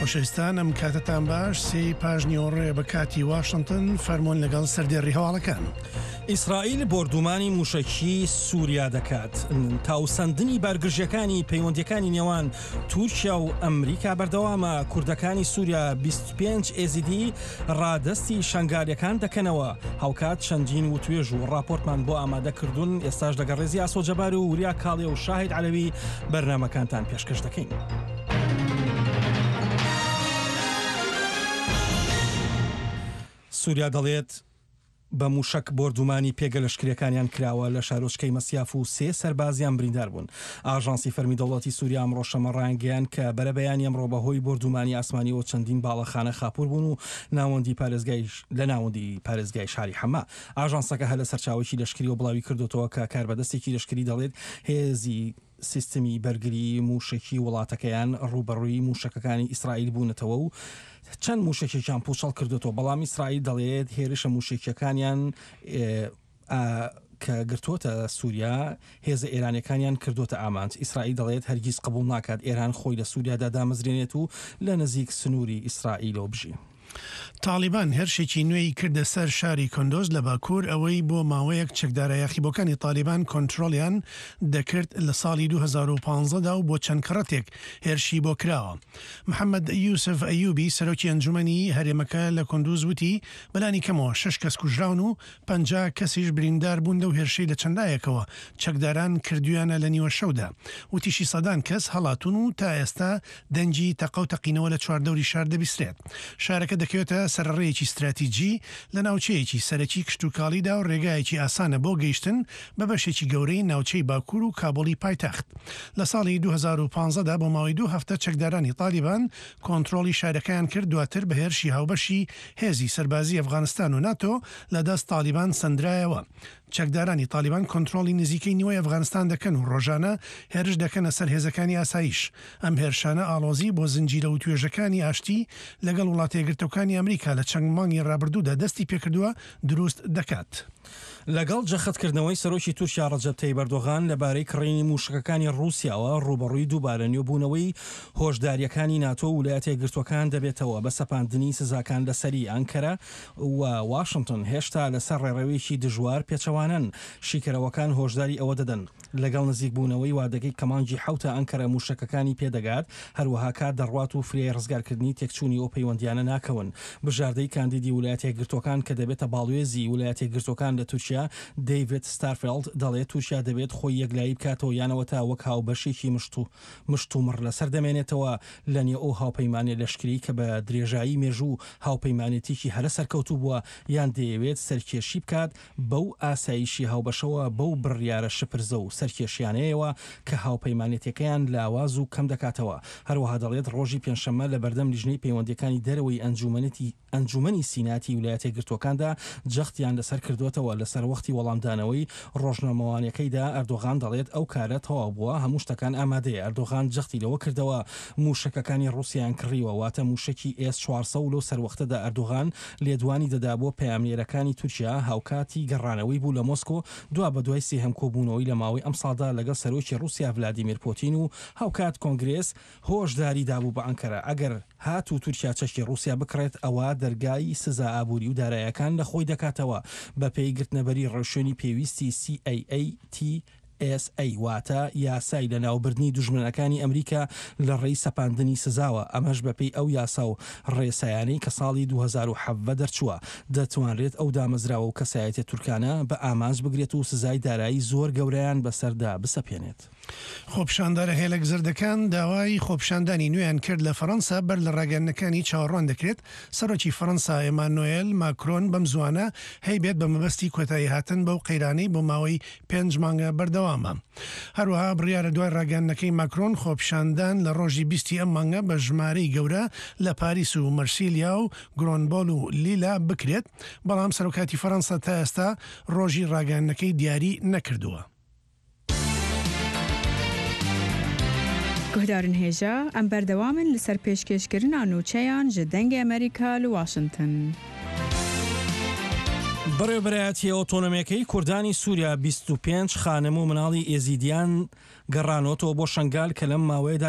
خۆشەویستان ئەم کاتەتان باش سێی پاش نیوەڕۆیە بە کاتی واشنتن فەرموون لەگەڵ سەردێڕی هەواڵەکان. ئیسرائیل بۆردومانی موشەکی سوریا دەکات. تاوسەندنی بارگرژیەکانی پەیوەندیەکانی نێوان تورکیا و ئەمریکا بەردەوامە، کوردەکانی سوریا 25 ئێزیدی ڕادەستی شەنگالیەکان دەکەنەوە، هاوکات چەندین وتوێژ و ڕاپۆرتمان بۆ ئامادە کردوون، ئێستاش لەگەڵ ڕێزی ئاسۆ جەبار و وریا کاڵێ و شاهید عەلەوی بەرنامەکانتان پێشکەش دەکەین. سوریا دەڵێت، بە مووشەک بۆردومانی پێگە لەشکرییەکانیان کراوە لە شارۆچکەی مەسیاف و سێ سەربازیان بریندار بوون. ئاژانسی فەرمی دەوڵەتی سوریا ئەمڕۆ شەممە ڕایانگەیاند کە بەرەبەیانی ئەمڕۆ بەهۆی بۆردومانی ئاسمانیەوە چەندین باڵەخانە خاپوور بوون و ناوەندی پارێزگای لە ناوەندی پارێزگای شاری حەما. ئاژانسەکە هەر لە سەرچاوەیەکی لەشکریەوە بڵاوی کردۆتەوە کە کاربەدەستێکی لەشکری دەڵێت هێزی سیستمی بەرگریی مووشەکی وڵاتەکەیان ڕووبەڕووی مووشەکەکانی ئیسرائیل بوونەتەوە و چەند مووشەکێکیان پووچەڵ کردۆتەوە، بەڵام ئیسرائیل دەڵێت هێرشە مووشەکییەکانیان کە گرتووەتە سووریا هێزە ئێرانییەکانیان کردووەتە ئامانج. ئیسرائیل دەڵێت هەرگیز قبوڵ ناکات ئێران خۆی لە سووریادا دامەزرێنێت و لە نزیک سنووری ئیسرائیلەوە بژی. تاڵیبان هێرشێکی نوێی کردە سەر شاری کۆندۆز لە باکوور، ئەوەی بۆ ماوەیەک چەکدارە یاخیبووەکانی تاڵیبان کۆنترۆڵیان دەکرد لە ساڵی 2015 دا و بۆ چەند کەڕەتێک هێرشی بۆ کراوە. محەمەد یوسف ئەیوبی، سەرۆکی ئەنجومەنی هەرێمەکە لە کۆندوز وتی، بەلانی کەمەوە شەش کەس کوژراون و 50 کەسیش بریندار بوون لەو هێرشەی لە چەند لایەکەوە چەکداران کردوویانە لە نیوەشەودا. وتیشی سەدان کەس هەڵاتوون و تا ئێستا دەنگی تەقە و تەقینەوە لە چواردەوری شار دەبیسترێت. شارەکە دەکەوێتە سەرەڕێیەکی ستراتیجی لە ناوچەیەکی سەرەکی کشتوکاڵیدا و رێگایەکی ئاسانە بۆ گەیشتن بە بەشێکی گەورەی ناوچەی باکوور و کابوڵی پایتەخت. لە ساڵی 2015 دا بۆ ماوەی دوو هەفتە چەکدارانی تالیبان کۆنترۆڵی شارەکەیان کرد، دواتر بە هێرشی هاوبەشی هێزی سەربازی ئەفغانستان و ناتۆ لە دەست تالیبان سەندرایەوە. چەکدارانی تالیبان کۆنترۆڵی نزیکەی نیوەی ئەفغانستان دەکەن و ڕۆژانە هێرش دەکەنە سەر هێزەکانی ئاسایش. ئەم هێرشانە ئاڵۆزی بۆ زنجیرە وتوێژەکانی ئاشتی لەگەڵ وڵاتەیەکگرتووەکانی ئەمریکا لە چەند مانگی ڕابردوودا دەستی پێکردووە دروست دەکات. لەگەڵ جەختکردنەوەی سەرۆکی تورکیا ڕەجەب تەیب ئەردۆغان لەبارەی کڕینی مووشەکەکانی ڕووسیاوە، ڕووبەڕووی دووبارە نوێبوونەوەی هۆشدارییەکانی ناتۆ و ولایەتە یەکگرتووەکان دەبێتەوە بە سەپاندنی سزاکان لەسەری، ئەنکەرە و واشنتن هێشتا لەسەر ڕێڕەوێکی دژوار پێچەوانەن، شیکەرەوەکان هۆشداری ئەوە دەدەن، لەگەڵ نزیکبوونەوەی وادەکەی کە مانگی حەوتە ئەنکەرە مووشەکەکانی پێدەگات، هەروەها کات دەڕوات و فریای ڕزگارکردنی تێکچوونی ئەو پەیوەندییانە ناکەون. بژاردەی کاندیدی ولایەتەیەکگرتووەکان کە دەبێتە باڵوێزی ولایەتەیەکگرتووەکان لە تورکیا، دەیڤد ستارفێڵد دەڵێت تورکیا دەبێت خۆی یەکلایی بکاتەوە یان ئەوەتا وەک هاوبەشێکی مشتومڕ لەسەر دەمێنێتەوە لە نێو ئەو هاوپەیمانیە لەشکریی کە بە درێژایی مێژوو هاوپەیمانێتیکی هەرە سەرکەوتوو بووە یان دەیەوێت سەرکێشی بکات بەو ئاسایشی هاوبەشەوە بەو بڕیارە شپرزە و سەرکێشیانەیەوە کە هاوپەیمانێتیەکەیان لاواز و کەم دەکاتەوە. هەروەها دەڵێت ڕۆژی پێنجشەممە لە بەردەم لیژنەی پەیوەندیەکانی دەرەوەی ئەنجومەنی ئەنجومەنی سیناتی ولایەتەیەکگرتووەکاندا جەختیان لەسەر کردووەتەوە. لە سەروەختی وەڵامدانەوەی ڕۆژنامەوانیەکەیدا ئەردۆغان دەڵێت ئەو کارە تەواو بووە، هەموو شتەکان ئامادەیە. ئەردۆغان جەختی لەوە کردەوە مووشەکەکانی ڕووسیایان کڕیوە، واتە مووشەکی ئێس 400 و لەو سەروەختەدا ئەردۆغان لێدوانی دەدا بۆ پەیامنێرەکانی تورکیا هاوکاتی گەڕانەوەی بوو لە مۆسکۆ دوابەدوای سێهەم کۆبوونەوەی لە ماوەی ئەمساڵدا لەگەڵ سەرۆکی ڕووسیا ڤلادیمیر پۆتین و هاوکات کۆنگرێس هۆشداری دابوو بە ئەنکەرە ئەگەر هاتوو تورکیا چەکی ڕووسیا بکڕێت ئەوا دەرگای سزا ئابووری و دارایەکان لە خۆی دەکاتەوە بەپێی گرتنەبەری ڕێوشوێنی پێویستی CAATSA واتە یاسای لەناوبردنی دوژمنەکانی ئەمریکا لە ڕێی سەپاندنی سزاوە ئەمەش بەپێی ئەو یاسا و ڕێسایانەی کە ساڵی 2017 دەرچووە دەتوانرێت ئەو دامەزراوە و کەسایەتیە تورکانە بە ئامانج بگرێت و سزای دارایی زۆر گەورەیان بەسەردا بسەپێنێت. خۆپیشاندەرە هێلەک زەردەکان داوای خۆپیشاندانی نوێیان کرد لە فەرەنسا بەر لە ڕاگەیاندنەکانی چاوەڕوان دەکرێت سەرۆکی فەرەنسا ئێمانۆێل ماکرۆن بەم زووانە هەیبێت بە مەبەستی کۆتاییهاتن بەو قەیرانەی بۆ ماوەی پێنج مانگە بەردەوامە. هەروەها بڕیارە دوای ڕاگەیاندنەکەی ماکرۆن خۆپیشاندان لە ڕۆژی بیستی ئەم مانگە بە ژمارەی گەورە لە پاریس و مەرسیلیا و گرۆنبۆل و لیلا بکرێت، بەڵام سەرۆکاتی فەرەنسا تا ئێستا ڕۆژی ڕاگەیاندنەکەی دیاری نەکردووە. Guhdarên hêja, em berdewam in li ser pêşkêşkirina nûçeyan ji Dengê Amerîka li Washington. بەڕێوەبەرایەتییە ئۆتۆنۆمییەکەی کوردانی سووریا 25 خانم و مناڵی ئێزیدیان گەڕانۆتەوە بۆ شەنگال کە لەم ماوەیەدا.